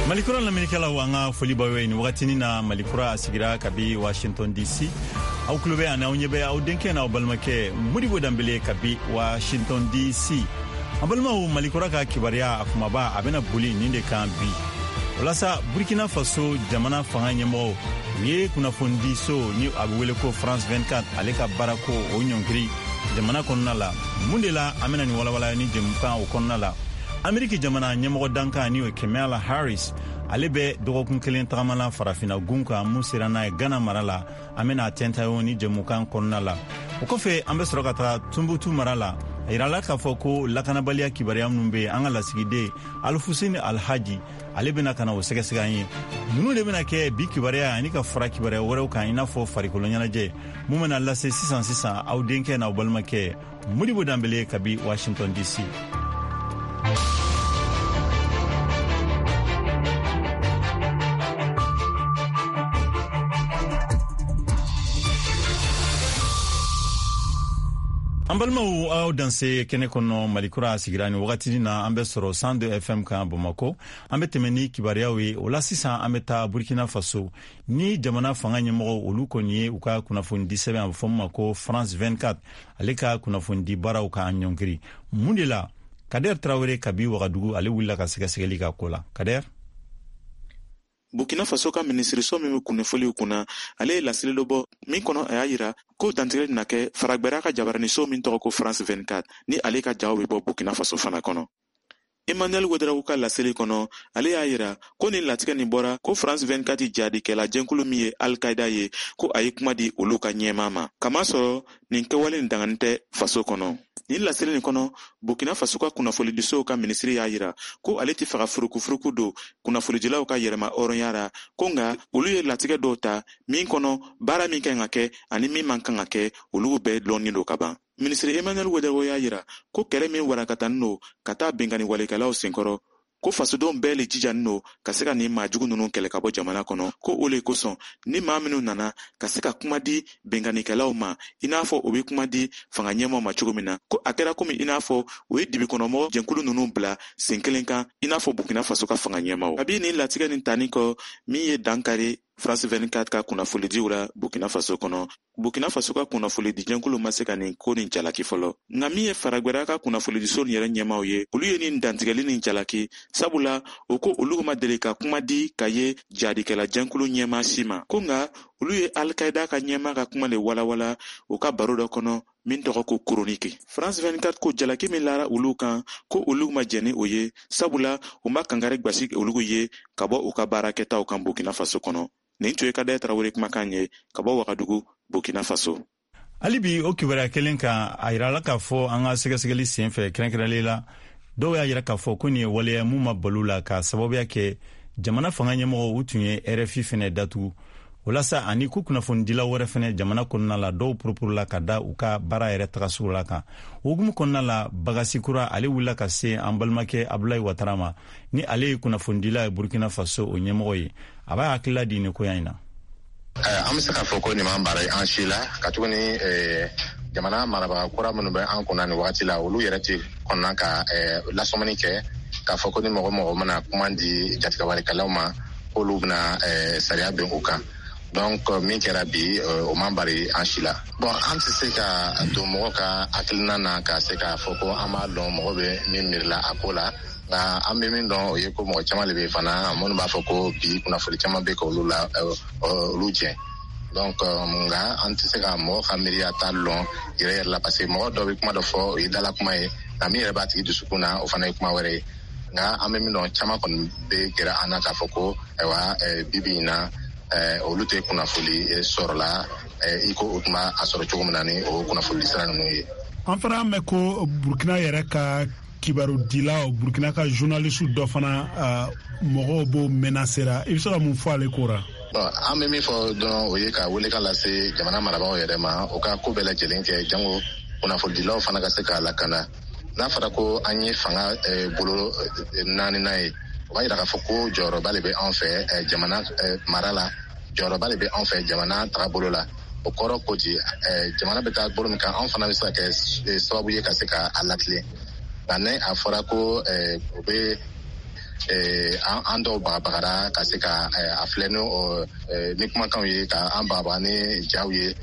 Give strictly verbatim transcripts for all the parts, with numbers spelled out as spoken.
Malikura lamɛnnikɛlaw, an ka foli b'aw ye nin wagatinin na. Malikura a sigira kabi Washington D C. Aw tulo bɛ ani aw ɲɛ bɛ aw denkɛ n'aw balimakɛ Modibo Danbele kabi Washington D C. An balimaw, Malikura ka kibaruya a kumaba a bɛna boli nin de kan bi. Walasa Burkina Faso jamana fanga ɲɛmɔgɔw, u ye kunnafonidiso ni a bɛ wele ko France vingt-quatre, ale ka baarako o ɲɔngiri jamana kɔnɔna la. Mun de la an bɛna nin walawala ni jɛmukan o kɔnɔna la? Ameriki jamana ɲɛmɔgɔ dankan ni o ye Kamala Harris, ale bɛ dɔgɔkun kelen tagama la Farafina gun kan. Mun sera n'a ye Gana mara la, an bɛna a tɛntayo ni jɛmukan kɔnɔna la. O kɔfɛ, an bɛ sɔrɔ ka taga Tunbutu mara la. A yirala k'a fɔ ko lakanabaliya kibaruya minnu bɛ yen, an ka lasigiden Alifuseni Alhaji, ale bɛna ka na o sɛgɛsɛgɛ an ye. Ninnu de bɛna kɛ bi kibaruya ani ka fara kibaruya wɛrɛw kan, i n'a fɔ farikolo ɲɛnajɛ mun bɛna lase sisan sisan, aw denkɛ n'aw balimakɛ Modibo Danbele kabi Washington D C. An balimaw, aw danse kɛnɛ kɔnɔ. Malikura sigira ni wagatinin na, an bɛ sɔrɔ cent deux F M kan Bamako. An bɛ tɛmɛ ni kibaruyaw ye. O la sisan, an bɛ taa Burkina Faso ni jamana fanga ɲɛmɔgɔw, olu kɔni ye u ka kunnafonidi sɛbɛn a bɛ fɔ min ma ko France vingt-quatre, ale ka kunnafonidi baaraw k'an ɲɔngiri. Mun de la? Kader Tarawele kabi Wagadugu, ale wulila ka sɛgɛsɛgɛli ka ko la. Kader. Burkina Faso ka minisiriso min bɛ kunnafoniw kunna, ale ye laseli dɔ bɔ min kɔnɔ, a y'a yira ko dantigɛli na kɛ faragbɛra ka jabaraniso min tɔgɔ ko France vingt-quatre, ni ale ka jaw bɛ bɔ Burkina Faso fana kɔnɔ. Emmanuel Ouedraogo ka laseli kɔnɔ, ale y'a yira ko nin latigɛ nin bɔra ko France vingt-quatre jihadikɛla jɛnkulu min ye Al-Qaïda ye, ko a ye kuma di olu ka ɲɛmaa ma, kamasɔrɔ nin kɛwale nin dangani tɛ faso kɔnɔ. Nin laseli nin kɔnɔ, Burkina Faso ka kunnafonidisow ka minisiri y'a yira ko ale tɛ fɛ ka furukufuruku don kunnafonidilaw ka yɛrɛma hɔrɔnya ra, ko nka olu ye latigɛ dɔw ta min kɔnɔ, baara min kan ka kɛ ani min man kan ka kɛ, olu bɛɛ lɔnnin don ka ban. Minisiri Emmanuel Ouedraogo y'a yira ko kɛlɛ min warakatanin don ka taa binkanni walekɛlaw senkɔrɔ, ko fasodenw bɛɛ le jijanin don ka se ka nin maajugu ninnu kɛlɛ ka bɔ jamana kɔnɔ, ko o le kosɔn ni maa minnu nana ka se ka kuma di binkannikɛlaw ma, i n'a fɔ o bɛ kuma di fanga ɲɛmaaw ma cogo min na, ko a kɛra komi i n'a fɔ o ye dibikɔnɔmɔgɔ jɛnkulu ninnu bila sen kelen kan, i n'a fɔ Burkina Faso ka fanga ɲɛmaaw. Kabi nin latigɛ nin tanni kɔ min ye dankari France vingt-quatre ka kunnafonidiw la Burkina Faso kɔnɔ, Burkina Faso ka kunnafonidi jɛnkulu ma se ka nin ko nin jalaki fɔlɔ. Nka min ye faragbɛra ka kunnafonidiso nin yɛrɛ ɲɛmaaw ye, olu ye nin dantigɛli nin jalaki, sabula o ko olu ma deli ka kuma di ka ye jihadikɛla jɛnkulu ɲɛmaa si ma, ko nka olu ye Al-Qaïda ka ɲɛmaa ka kuma le walawala u ka baro dɔ kɔnɔ min tɔgɔ ko Chronique. France vingt-quatre ko jalaki min lara olu kan, ko olu ma jɛn ni o ye, sabula u ma kankari gbasi olu ye ka bɔ u ka baarakɛtaw kan Burkina Faso kɔnɔ. Nin tun ye Kader Tarawele kumakan ye ka bɔ Wagadugu, Burkina Faso. Hali bi o kibaruya kelen kan, a yirala k'a fɔ an ka sɛgɛsɛgɛli sen fɛ, kɛrɛnkɛrɛnlen la, dɔw y'a yira k'a fɔ ko nin ye waleya mun ma balo la, k'a sababuya kɛ jamana fanga ɲɛmɔgɔw, u tun ye R F I fɛnɛ datugu. O la sa, ani ko kunnafonidilaw wɛrɛ fɛnɛ jamana kɔnɔna la, dɔw purupurula ka da u ka baara yɛrɛ tagasugu la kan. O hukumu kɔnɔna la, Bagasi Kura, ale wulila ka se an balimakɛ Abulayi Watara ma, ni ale ye kunnafonidila ye Burkina Faso, o ɲɛmɔgɔ ye. A b'a hakilila di nin koya in na. An bɛ se k'a fɔ ko nin m'an bara an si la, katuguni jamana marabaga kura minnu bɛ an kunna nin wagati la, olu yɛrɛ tɛ kɔnna ka lasɔmani kɛ k'a fɔ ko ni mɔgɔ mɔgɔ mana kuma di jatigɛwalekɛlaw ma, k'olu bɛna sariya bin u kan. Donc min kɛra bi, o man bari an si la. Bon, an tɛ se ka don mɔgɔ ka hakilina na ka se k'a fɔ ko an b'a dɔn mɔgɔ bɛ min miirila a ko la. Nka an bɛ min dɔn, o ye ko mɔgɔ caman de bɛ fana minnu b'a fɔ ko bi kunnafoni caman bɛ k'olu la olu jɛ. Donc nka an tɛ se ka mɔgɔ ka miiriya ta lɔn yɛrɛ yɛrɛ la, parce que mɔgɔ dɔ bɛ kuma dɔ fɔ, o ye dala kuma ye, nka min yɛrɛ b'a tigi dusukun na, o fana ye kuma wɛrɛ ye. Nka an bɛ min dɔn, caman kɔni bɛ gɛrɛ an na k'a fɔ ko ayiwa, bi bi in na, olu tɛ kunnafoni sɔrɔla i ko o tun b'a sɔrɔ cogo min na ni o kunnafoni sira ninnu ye. An fana mɛn ko Burkina yɛrɛ ka kibarudilaw, Burkina ka journaliste dɔ fana, mɔgɔw b'o menacera. I bɛ se ka mun fɔ ale ko ra? An bɛ min fɔ dɔrɔn, o ye ka welekan lase jamana marabagaw yɛrɛ ma, u ka ko bɛɛ lajɛlen kɛ jango kunnafonidilaw fana ka se k'a lakana. N'a fɔra ko an ye fanga bolo naaninan ye, o b'a yira k'a fɔ ko jɔyɔrɔba de bɛ anw fɛ jamana mara la, jɔyɔrɔba de bɛ anw fɛ jamana tagabolo la. O kɔrɔ ko di, jamana bɛ taa bolo min kan, anw fana bɛ se ka kɛ sababu ye ka se k'a latilen. Nka ni a fɔra ko o bɛ An dɔw bagabagara ka se ka a filɛ ni kumakanw ye, ka an bagabaga ni jaw ye,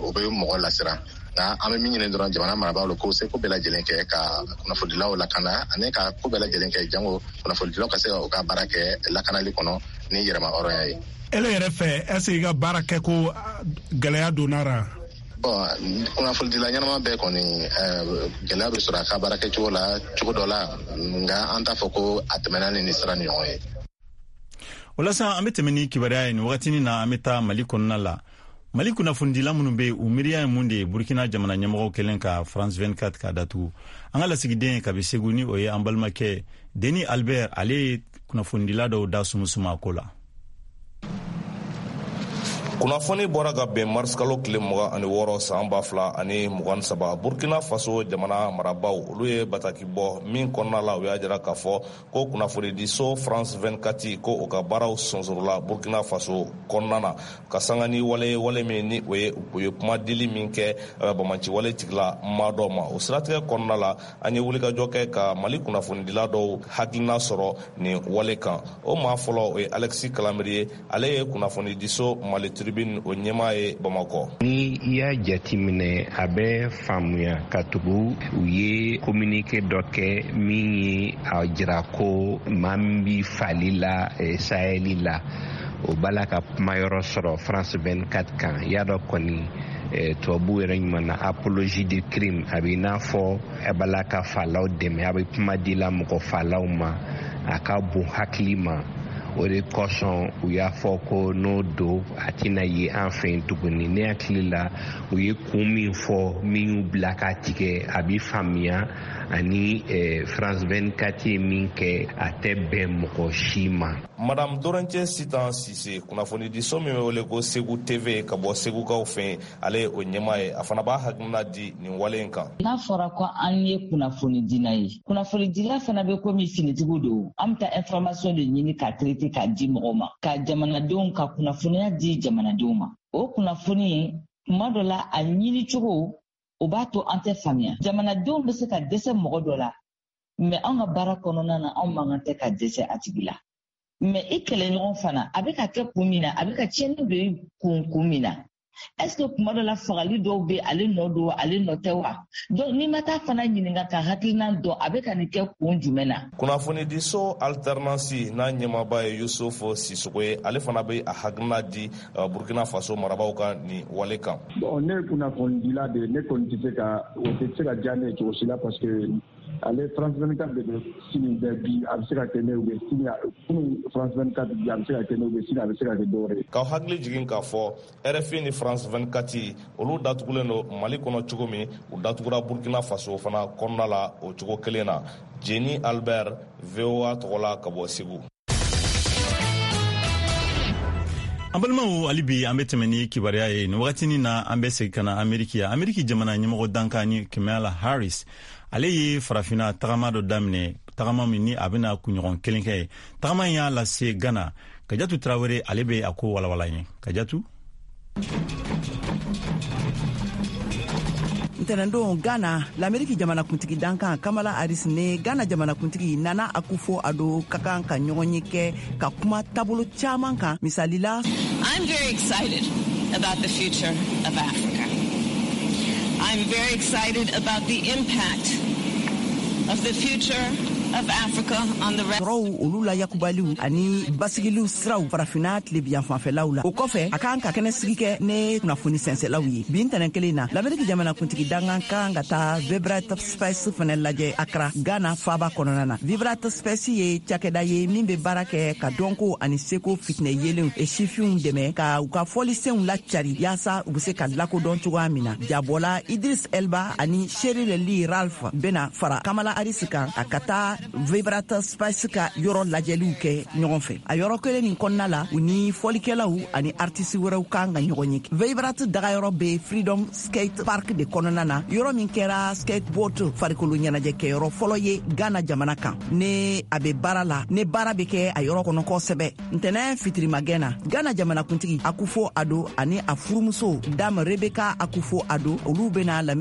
o bɛ mɔgɔ lasiran. Nka an bɛ min ɲini dɔrɔn jamana marabagaw la, k'o se ko bɛɛ lajɛlen kɛ ka kunnafonidilaw lakana, ani ka ko bɛɛ lajɛlen kɛ jango kunnafonidilaw ka se ka u ka baara kɛ lakanali kɔnɔ ni yɛrɛma hɔrɔnya ye. Ele yɛrɛ fɛ, est-ce que i ka baara kɛ ko gɛlɛya donna ra? Bon, kunnafonidila ɲɛnama bɛɛ kɔni, gɛlɛya bɛ sɔrɔ a ka baara kɛcogo la cogo dɔ la, nka an t'a fɔ ko a tɛmɛna ni nin sira ni ɲɔgɔn ye. O la sa, an bɛ tɛmɛ ni kibaruya ye nin wagatinin na. An bɛ taa Mali kɔnɔna la. Mali kunnafonidila minnu bɛ yen, u miiriya ye mun de ye Burkina jamana ɲɛmɔgɔw kɛlen ka France vingt-quatre k'a datugu? An ka lasigiden kabi Segu, ni o ye an balimakɛ Denis Albert, ale ye kunnafonidila dɔw da sumusuma a ko la. Kunnafoni bɔra ka bɛn marisikalo tile mugan ani wɔɔrɔ san ba fila ani mugan saba, Burkina Faso jamana marabaw, olu ye bataki bɔ min kɔnɔna la, u y'a jira k'a fɔ ko kunnafonidiso France vingt-quatre, ko o ka baaraw sonsorola Burkina Faso kɔnɔna na, ka sanga ni wale wale min ni o ye u ye kuma dili min kɛ bamanci wale tigila maa dɔw ma. O siratigɛ kɔnɔna la, an ye wulikajɔ kɛ ka Mali kunnafonidila dɔw hakilina sɔrɔ nin wale kan. O maa fɔlɔ, o ye Alexis Kalamiri ye. Ale ye kunnafonidiso Mali Tribune o ɲɛmaa ye Bamakɔ. Ni i y'a jateminɛ, a bɛ faamuya katugu u ye communiqué dɔ kɛ min ye a jira ko maa min bi fali la Saheli la, o b'a la ka kumayɔrɔ sɔrɔ France vingt-quatre kan. I y'a dɔn kɔni, tubabu yɛrɛ ɲuman na, apologie du crime, a bɛ i n'a fɔ a b'a la ka falaw dɛmɛ, a bɛ kuma di la mɔgɔ falaw ma, a ka bon hakili ma. O de kosɔn u y'a fɔ ko n'o don, a tɛna ye an fɛ yen tuguni. Ne hakili la, u ye kun min fɔ min y'u bila k'a tigɛ, a bɛ faamuya, ani France vingt-quatre ye min kɛ, a tɛ bɛn mɔgɔ si ma. Madame Dorence Sitan Sise, kunnafonidiso min bɛ wele ko Segu T V ka bɔ Segukaw fɛ yen, ale ye o ɲɛmaa ye. A fana b'a hakilina di nin wale in kan. N'a fɔra ko an ye kunnafonidila ye, kunnafonidila fana bɛ komi finitigiw don. An bɛ taa information de ɲini ka traiter k'a di mɔgɔw ma, ka jamanadenw ka kunnafoniya di jamanadenw ma. O kunnafoni, tuma dɔ la, a ɲini cogo o b'a to an tɛ faamuya. Jamanadenw bɛ se ka dɛsɛ mɔgɔ dɔ la, mais anw ka baara kɔnɔna na, anw man kan tɛ ka dɛsɛ a tigi la. Mais i kɛlɛɲɔgɔn fana, a bɛ ka kɛ kun min na, a bɛ ka tiɲɛni don i kun kun min na, est ce que kuma dɔ la fagali dɔw bɛ ale nɔ don, ale nɔ tɛ wa? Donc n'i ma taa fana ɲininka ka hakilina dɔn, a bɛ ka nin kɛ kun jumɛn na? Kunnafonidiso Alternance n'a ɲɛmaaba ye Yusufu Sisogo ye. Ale fana bɛ a hakilina di Burkina Faso marabaw ka nin wale kan. Bon, ne ye kunnafonidila de ye. Ne kɔni tɛ se ka o tɛ se ka diya ne ye cogo si la, parce que ale France vingt-quatre de bɛ sini bɛɛ bi, a bɛ se ka kɛ ne bɛ sini kunun France vingt-quatre bi, a bɛ se ka kɛ ne bɛ sini, a bɛ se ka kɛ dɔwɛrɛ ye. K'aw hakili jigin k'a fɔ R F I ni France vingt-quatre, olu datugulen don Mali kɔnɔ cogo min, u datugura Burkina Faso fana kɔnɔna la o cogo kelen na. Jeni Albert, V O A tɔgɔ la ka bɔ Segu. An balimaw, hali bi an bɛ tɛmɛ ni kibaruya ye. Nin wagatinin na, an bɛ segin ka na Ameriki ya. Ameriki jamana ɲɛmɔgɔ dankan ni Kamala Harris, ale ye Farafina tagama dɔ daminɛ, tagama min ni a bɛna kunɲɔgɔn kelen kɛ ye. Tagama in y'a lase Gana. Kajatu Tarawele, ale bɛ a ko walawala ye. Kajatu. Ntɛnɛndon, Ghana, Lameriki jamanakuntigi dankan Kamala Harris ni Ghana jamanakuntigi Nana Akufo Ado ka kan ka ɲɔgɔn ye kɛ ka kuma taabolo caman kan, misali la. I'm very excited about the future of Africa. I'm very excited about the impact of the future of Africa on the rest. Sɔrɔw, olu la yakubaliw ani basigiliw siraw Farafina tilebiyan fanfɛlaw la. O kɔfɛ, a kan ka kɛnɛ sigi kɛ ne kunnafoni sɛnsɛlaw ye. Bi ntɛnɛn kelen na, Lameriki jamanakuntigi dankan kan ka taa Vibrant Space fɛnɛ lajɛ Akra, Ghana faaba kɔnɔna na. Vibrant Space ye cakɛda ye min be baara kɛ ka dɔnko ani seko fitinɛ yelenw e sifinw dɛmɛ ka u ka fɔlisenw lacari, yaasa u be se ka lakodɔn cogoya min na. Jabɔla Idris Elba ani Sheryl Lee Ralph bena fara Kamala Harris kan a ka taa Vibrant Space ka yɔrɔ lajɛliw kɛ ɲɔgɔn fɛ. A yɔrɔ kelen nin kɔnɔna la, u ni fɔlikɛlaw ani artiste wɛrɛw kan ka ɲɔgɔn ye. Vibrant dagayɔrɔ be Freedom Skate Park de kɔnɔna na, yɔrɔ min kɛra skateboard farikolo ɲɛnajɛkɛyɔrɔ fɔlɔ ye Ghana jamana kan. Ne a be baara la, ne baara be kɛ a yɔrɔ kɔnɔ kosɛbɛ. Ntɛnɛ fitirimagɛn na, Ghana jamanakuntigi Akufo Ado ani a furumuso Dame Rebecca Akufo Ado, olu bena